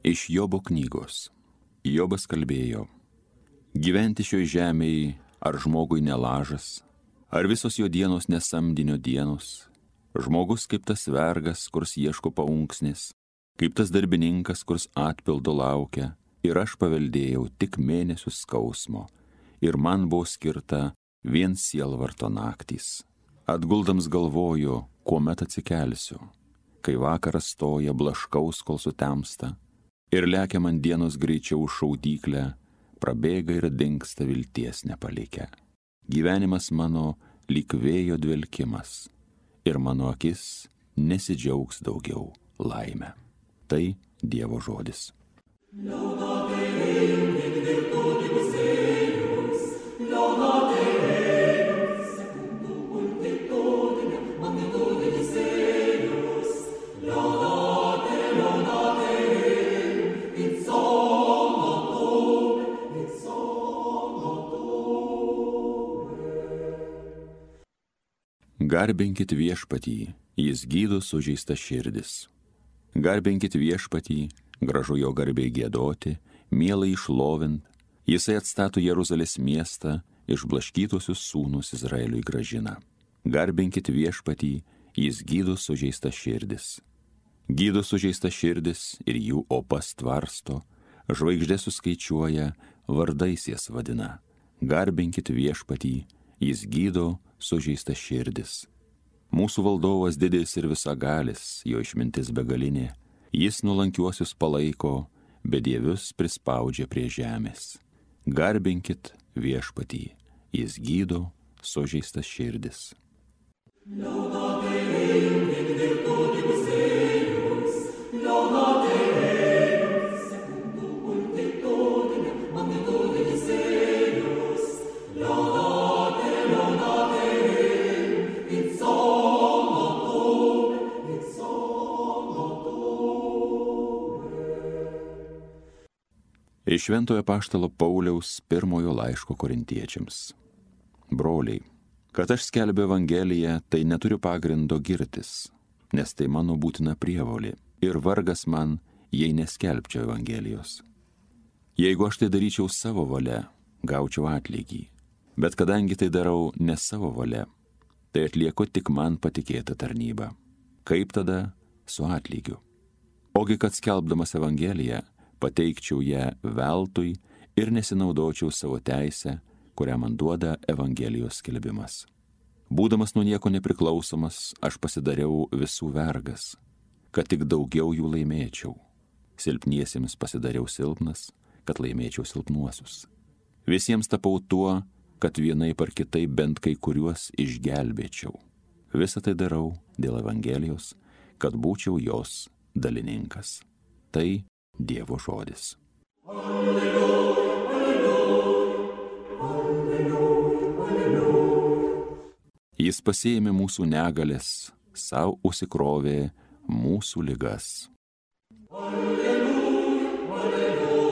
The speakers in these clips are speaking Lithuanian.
Iš Jobo knygos. Jobas kalbėjo: gyventi šioj žemėje ar žmogui nelažas, ar visos jo dienos nesamdinio dienos. Žmogus kaip tas vergas, kurs ieško paunksnės, kaip tas darbininkas, kurs atpildo laukia. Ir aš paveldėjau tik mėnesius skausmo, ir man buvo skirta vien sielvarto naktys. Atguldams galvoju, kuomet atsikelsiu, kai vakaras stoja, blaškaus, kol sutemsta, ir lekia man dienos greičiau šaudyklę, prabėga ir dingsta vilties nepalikę. Gyvenimas mano lyg vėjo dvelkimas, ir mano akis nesidžiaugs daugiau laime. Tai Dievo žodis. Garbinkit viešpatį, jis gydo sužeistas širdis. Garbinkit viešpatį, gražu jo garbei giedoti, mielai išlovint, jisai atstato Jeruzalės miestą, išblaškytusius sūnus Izraeliui grąžina. Garbinkit viešpatį, jis gydo sužeistas širdis. Gydo sužeistas širdis ir jų opas tvarsto, žvaigždės suskaičiuoja, vardais jas vadina. Garbinkit viešpatį, jis gydo sužeistas širdis. Mūsų valdovas didis ir visagalis, jo išmintis begalinė. Jis nuolankiuosius palaiko, bedievius prispaudžia prie žemės. Garbinkit viešpatį, jis gydo sužeistas širdis. Iš Šventojo apaštalo Pauliaus pirmojo laiško korintiečiams. Broliai, kad aš skelbiu Evangeliją, tai neturiu pagrindo girtis, nes tai mano būtina prievolė ir vargas man, jei neskelbčiau Evangelijos. Jeigu aš tai daryčiau savo valia, gaučiau atlygį, bet kadangi tai darau ne savo valia, tai atlieku tik man patikėtą tarnybą. Kaip tada su atlygiu? Ogi kad skelbdamas Evangeliją, pateikčiau ją veltui ir nesinaudočiau savo teisę, kurią man duoda Evangelijos skelbimas. Būdamas nuo nieko nepriklausomas, aš pasidariau visų vergas, kad tik daugiau jų laimėčiau. Silpniesiems pasidariau silpnas, kad laimėčiau silpnuosius. Visiems tapau tuo, kad vienaip ar kitaip bent kai kuriuos išgelbėčiau. Visą tai darau dėl Evangelijos, kad būčiau jos dalininkas. Tai Dievo žodis. Alleluja, alleluja, alleluja, alleluja. Jis pasiėmė mūsų negalės, savo užsikrovė mūsų ligas. Alleluja, alleluja.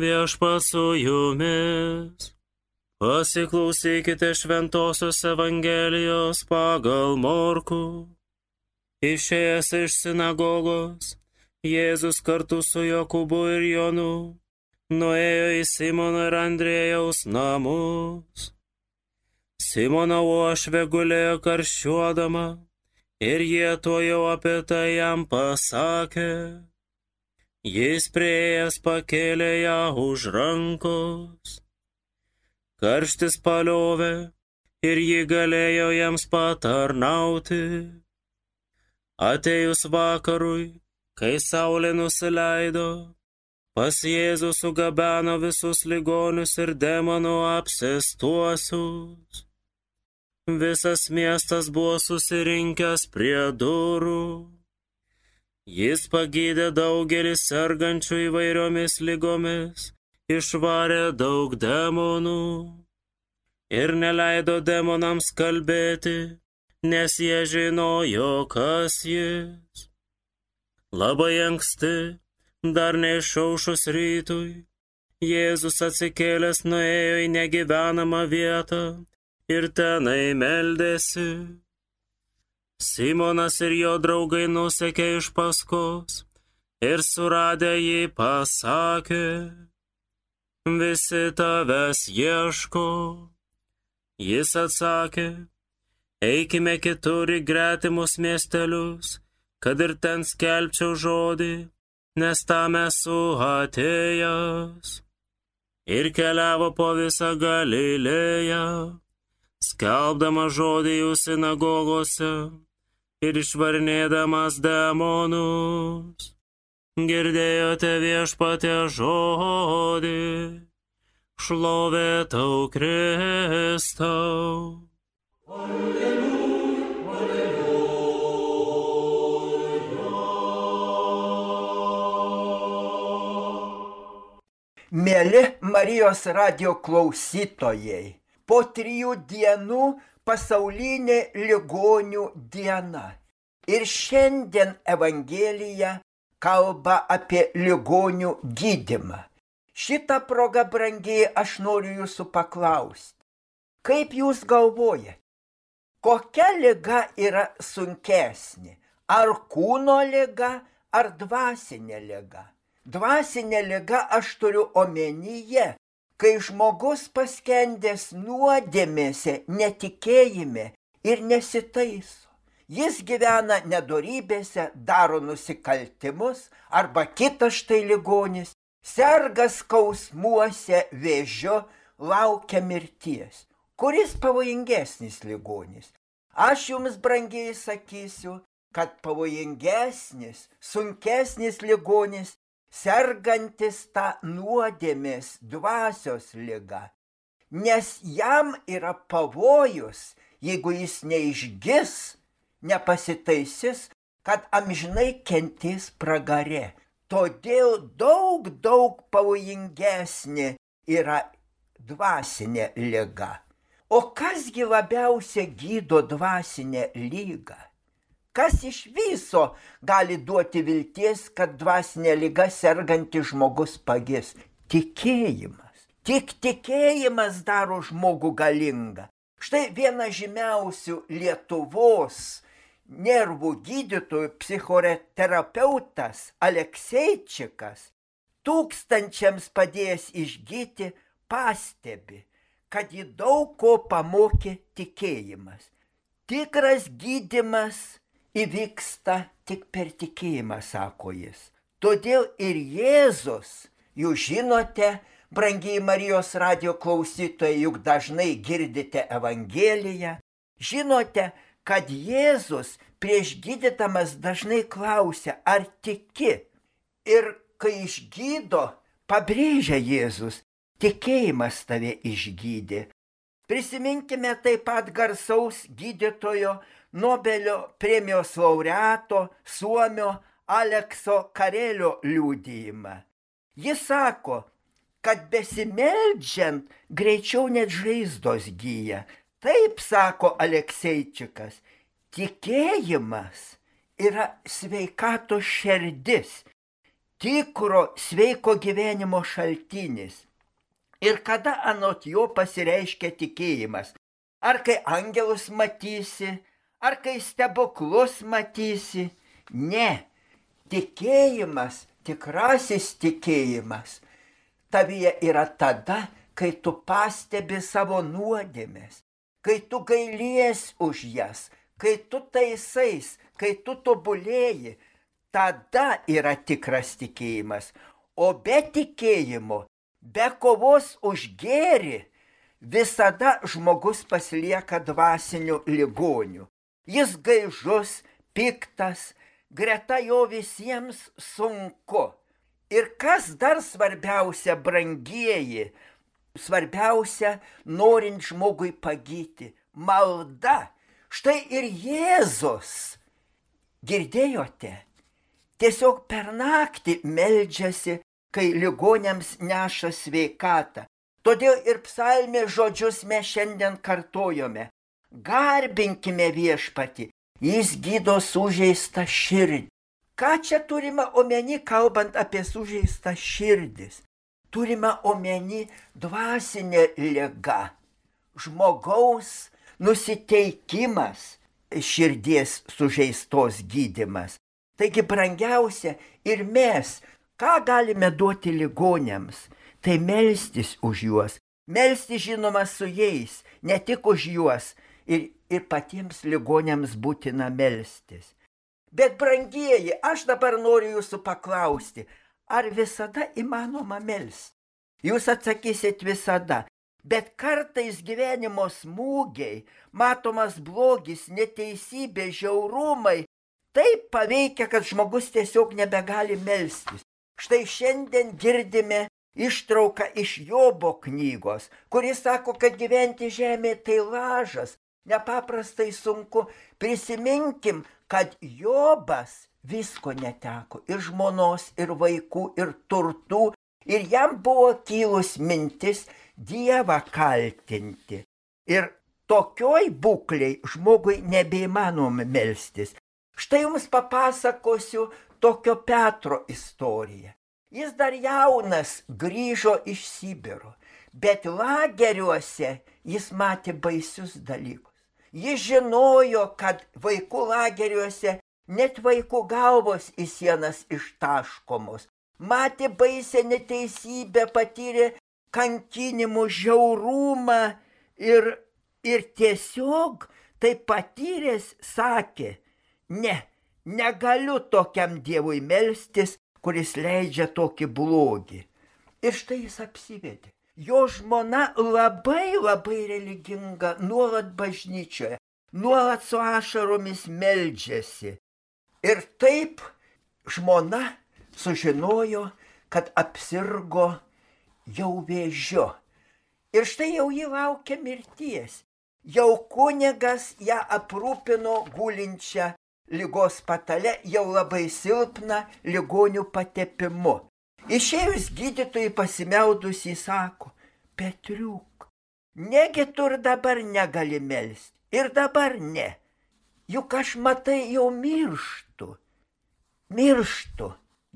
Viešpats su jumis. Pasiklausykite šventosios Evangelijos pagal Morkų. Išėjęs iš sinagogos, Jėzus kartu su Jokūbu ir Jonu nuėjo į Simono ir Andriejaus namus. Simono uošvė gulėjo karščiuodama ir jie tuojau apie tai jam pasakė. Jis priėjęs pakėlė ją už rankos. Karštis paliovė ir ji galėjo jiems patarnauti. Atėjus vakarui, kai saulė nusileido, pas Jėzų sugabeno visus ligonius ir demonų apsėstuosius. Visas miestas buvo susirinkęs prie durų. Jis pagydė daugelį sergančių įvairiomis ligomis, išvarė daug demonų ir neleido demonams kalbėti, nes jie žinojo, kas jis. Labai anksti, dar neišaušus rytui, Jėzus atsikėlęs nuėjo į negyvenamą vietą ir tenai meldėsi. Simonas ir jo draugai nusekė iš paskos ir suradę jį pasakė: visi tavęs ieško. Jis atsakė: eikime kitur į gretimus miestelius, kad ir ten skelbčiau žodį, nes tam esu atėjęs. Ir keliavo po visą Galilėją, skelbdamas žodį jų sinagogose ir išvarinėdamas demonus. Girdėjote Viešpatie žodį, šlovė tau Kristau. Mėly Marijos radijo klausytojai, po 3 dienų pasaulinė ligonių diena. Ir šiandien Evangelija kalba apie ligonių gydymą. Šitą progą, brangiai, aš noriu jūsų paklausti. Kaip jūs galvojate, kokia liga yra sunkesnė? Ar kūno liga, ar dvasinė liga? Dvasinė liga aš turiu omenyje, kai žmogus paskendęs nuodėmėse, netikėjime ir nesitaiso. Jis gyvena nedorybėse, daro nusikaltimus, arba kitas štai ligonis, serga skausmuose, vėžiu, laukia mirties. Kuris pavojingesnis ligonis? Aš jums, brangiai, sakysiu, kad pavojingesnis, sunkesnis ligonis, sergantis tą nuodėmės dvasios ligą. Nes jam yra pavojus, jeigu jis neišgis, nepasitaisys, kad amžinai kentės pragare. Todėl daug pavojingesnė yra dvasinė liga. O kasgi labiausiai gydo dvasinę ligą? Kas iš viso gali duoti vilties, kad dvasinė liga sergantis žmogus pagis? Tikėjimas. Tik tikėjimas daro žmogų galingą. Štai vienas žymiausių Lietuvos nervų gydytojų, psichoterapeutas Alekseičikas, tūkstančiams padėjęs išgyti, pastebi, kad jį daug ko pamokė tikėjimas. Tikras gydymas įvyksta tik per tikėjimą, sako jis. Todėl ir Jėzus, jūs žinote, brangiai Marijos radijo klausytojai, juk dažnai girdite Evangeliją, žinote, kad Jėzus prieš gydydamas dažnai klausia, ar tiki. Ir kai išgydo, pabrėžia Jėzus, tikėjimas tave išgydė. Prisiminkime taip pat garsaus gydytojo, Nobelio premijos laureato, suomio Alekso Karelio liudijimą. Jis sako, kad besimeldžiant greičiau net žaizdos gyja. Taip sako Alekseičikas, tikėjimas yra sveikatos šerdis, tikro sveiko gyvenimo šaltinis. Ir kada anot jo pasireiškia tikėjimas? Ar kai angelus matysi, ar kai stebuklus matysi? Ne, tikėjimas, tikrasis tikėjimas, tavyje yra tada, kai tu pastebi savo nuodėmes, kai tu gailies už jas, kai tu taisais, kai tu tobulėji, tada yra tikras tikėjimas. O be tikėjimo, be kovos už gėrį, visada žmogus pasilieka dvasiniu ligoniu. Jis gaižus, piktas, greta jo visiems sunku. Ir kas dar svarbiausia, brangieji, svarbiausia, norint žmogui pagyti, malda. Štai ir Jėzus, girdėjote, tiesiog per naktį meldžiasi, kai ligoniams neša sveikatą. Todėl ir psalmės žodžius mes šiandien kartojome. Garbinkime Viešpatį, jis gydo sužeistą širdį. Ką čia turime omeny, kalbant apie sužeistą širdis? Turime omeny dvasinę ligą. žmogaus nusiteikimas, širdies sužeistos gydymas. Taigi brangiausia ir mes, ką galime duoti ligoniams, tai melstis už juos, melstis žinoma su jais, ne tik už juos, ir patiems ligoniams būtina melstis. Bet brangieji, aš dabar noriu jūsų paklausti, ar visada įmanoma melsti? Jūs atsakysit visada. Bet kartais gyvenimo smūgiai, matomas blogis, neteisybė, žiaurumai taip paveikia, kad žmogus tiesiog nebegali melstis. Štai šiandien girdime ištrauką iš Jobo knygos, kuris sako, kad gyventi žemėje tai lažas, nepaprastai sunku. Prisiminkim, kad Jobas visko neteko, ir žmonos, ir vaikų, ir turtų, ir jam buvo kilus mintis Dievą kaltinti. Ir tokioj būkliai žmogui nebeįmanoma melstis. Štai jums papasakosiu tokio Petro istoriją. Jis dar jaunas grįžo iš Sibiro, bet lageriuose jis matė baisius dalykus. Jis žinojo, kad vaikų lageriuose net vaikų galvos į sienas ištaškomos. Matė baisę neteisybę, patyrė kankinimų, žiaurumą ir tiesiog tai patyręs sakė, negaliu tokiam Dievui melstis, kuris leidžia tokį blogį. Ir štai jis apsivedė. Jo žmona labai religinga, nuolat bažnyčioje, nuolat su ašaromis meldžiasi. Ir taip žmona sužinojo, kad apsirgo jau vėžiu. Ir štai jau jį laukia mirties. Jau kunigas ją aprūpino gulinčią ligos patale, jau labai silpna ligonių patepimu. Išėjus gydytojai pasimeldus jį sako, Petriuk, negi tu ir dabar negali melsti, ir dabar ne. Juk aš matai jau mirštu.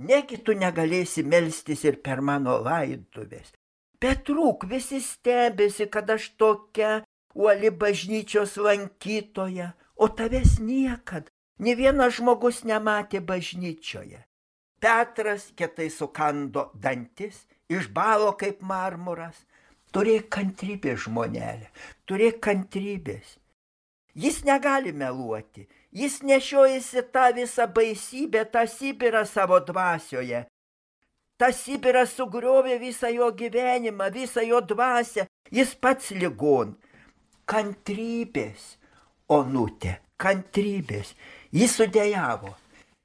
Negi tu negalėsi melstis ir per mano laidotuvės. Petruk, visi stebėsi, kad aš tokia uoli bažnyčios lankytoja, o tavęs niekad, nė vienas žmogus nematė bažnyčioje. Petras kietai sukando dantis, išbalo kaip marmuras. Turėk kantrybės, žmonelė, turėk kantrybės. Jis negali meluoti. Jis nešiojasi tą visą baisybę, tą Sibirą savo dvasioje. Ta Sibiras sugriovė visą jo gyvenimą, visą jo dvasią. Jis pats ligon. Kantrybės, onutė, kantrybės. Jis sudejavo.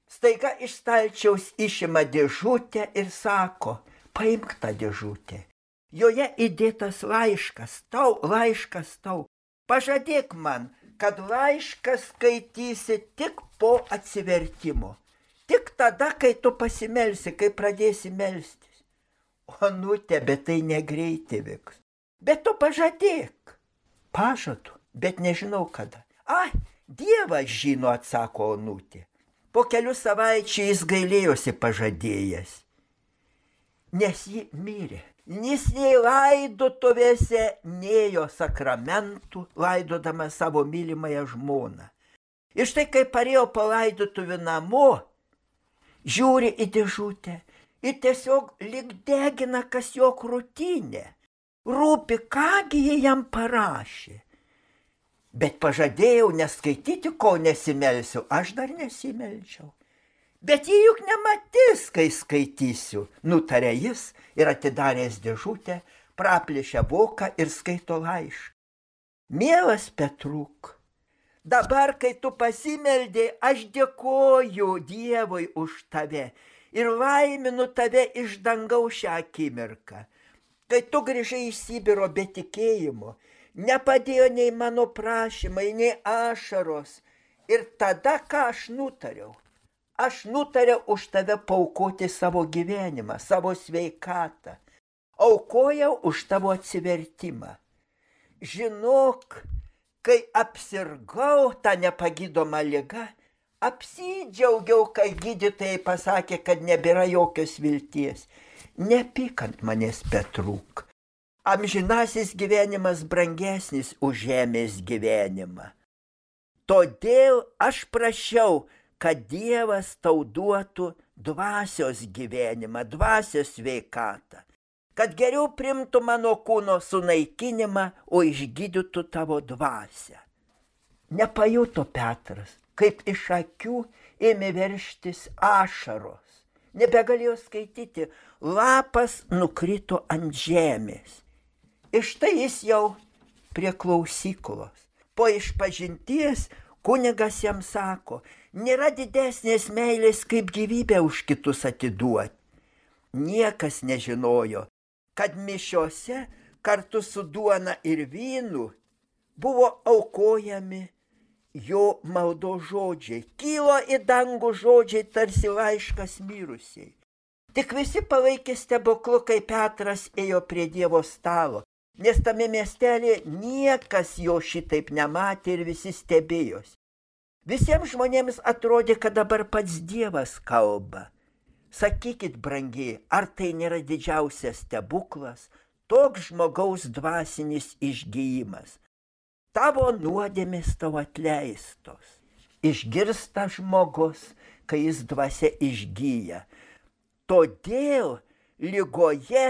Staiga iš stalčiaus išima dėžutę ir sako, paimk tą dėžutę. Joje įdėtas laiškas tau. Pažadėk man, kad laišką skaitysi tik po atsivertimo. Tik tada, kai tu pasimelsi, kai pradėsi melstis. Onutė, bet tai negreitai vyks. Bet tu pažadėk. Pažadu, bet nežinau kada. Dievas žino, atsako onutė. Po kelių savaičių jis gailėjosi pažadėjęs. Nes ji mirė. Jis nei laidotuvėse nėjo sakramentų, laidodama savo mylimąją žmoną. Ir štai, kai parėjo po laidotuvių namo, žiūri į dėžutę ir tiesiog lyg degina, kas jo krūtinė. Rūpi, kągi jie jam parašė. Bet pažadėjau neskaityti, kol nesimelsiu. Aš dar nesimelčiau. Bet jį juk nematys, kai skaitysiu, nutarė jis ir atidaręs dėžutę, praplėšė voką ir skaito laišką. Mielas Petruk, dabar, kai tu pasimeldei, aš dėkoju Dievui už tave ir laiminu tave iš dangaus šią akimirką. Kai tu grįžai iš Sibiro be tikėjimo, nepadėjo nei mano prašymai, nei ašaros. Ir tada, ką aš nutariau? Aš nutariau už tave paaukoti savo gyvenimą, savo sveikatą. Aukojau už tavo atsivertimą. Žinok, kai apsirgau tą nepagydomą ligą, apsidžiaugiau, kai gydytojai pasakė, kad nebėra jokios vilties. Nepyk ant manęs, Petruk. amžinasis gyvenimas brangesnis už žemės gyvenimą. Todėl aš prašiau, kad Dievas tau duotų dvasios gyvenimą, dvasios sveikatą, kad geriau primtų mano kūno sunaikinimą, o išgydytų tavo dvasią. Nepajuto Petras, kaip iš akių ėmė verštis ašaros. Nebegalėjo skaityti, lapas nukrito ant žemės. Ir štai jis jau prie klausyklos. Po išpažinties kunigas jam sako, nėra didesnės meilės kaip gyvybę už kitus atiduoti. Niekas nežinojo, kad mišiose kartu su duona ir vynu buvo aukojami jo maldos žodžiai. Kilo į dangų žodžiai tarsi laiškas mirusiai. Tik visi palaikė stebuklu, kai Petras ėjo prie Dievo stalo, nes tame miestelėje niekas jo šitaip nematė ir visi stebėjosi. Visiems žmonėms atrodė, kad dabar pats Dievas kalba. Sakykit, brangiai, ar tai nėra didžiausias stebuklas, toks žmogaus dvasinis išgijimas? Tavo nuodėmės tau atleistos. Išgirsta žmogus, kai jis dvasia išgyja. Todėl ligoje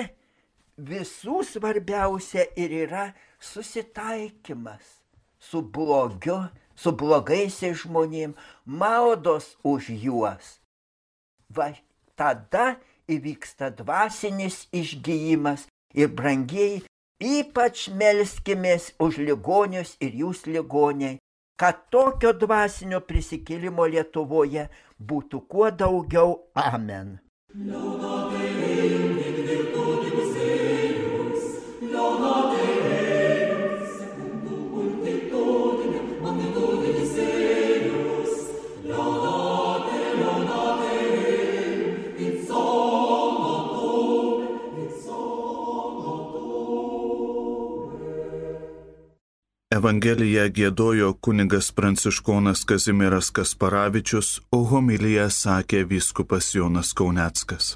visų svarbiausia ir yra susitaikymas su blogiu, su blogaisiais žmonėm, maldos už juos. Va, tada įvyksta dvasinis išgijimas ir brangieji, ypač melskimės už ligonius ir jūs ligoniai, kad tokio dvasinio prisikėlimo Lietuvoje būtų kuo daugiau. Amen. Evangeliją giedojo kunigas pranciškonas Kazimieras Kasparavičius, o homiliją sakė vyskupas Jonas Kauneckas.